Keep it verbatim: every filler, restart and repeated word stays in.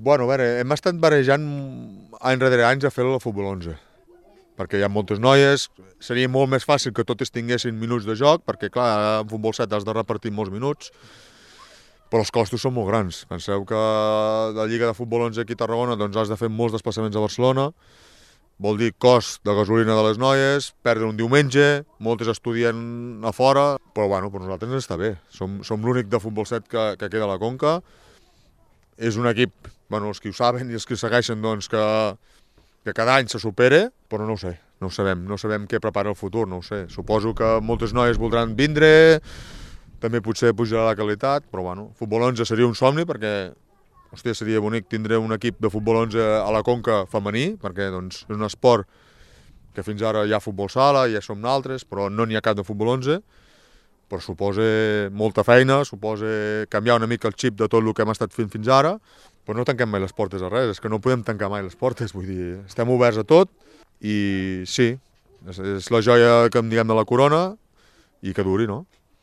Bueno, a veure, hem estat barejant any darrere anys a fer-lo a futbol onze, perquè hi ha moltes noies, seria molt més fàcil que totes tinguessin minuts de joc, perquè clar, en futbol set has de repartir molts minuts, però els costos són molt grans. Penseu que la Lliga de Futbol onze aquí a Tarragona doncs has de fer molts desplaçaments a Barcelona, vol dir cost de gasolina de les noies, perdre un diumenge, moltes estudien a fora, però bueno, per nosaltres ens està bé. Som, som l'únic de futbol set que, que queda a la Conca. És un equip, bueno, els que ho saben i els que ho segueixen, doncs que, que cada any se supere, però no ho sé, no ho sabem, no sabem què prepara el futur, no ho sé. Suposo que moltes noies voldran vindre, també potser pujarà la qualitat, però bueno, futbol onze seria un somni perquè hòstia, seria bonic tindre un equip de futbol onze a la Conca femení, perquè doncs, és un esport que fins ara hi ha futbol sala, ja som naltres, però no n'hi ha cap de futbol onze, però suposa molta feina, suposa canviar una mica el xip de tot el que hem estat fent fins ara, però no tanquem mai les portes a res, és que no podem tancar mai les portes, vull dir, estem oberts a tot i sí, és, és la joia que em diguem de la corona i que duri, no?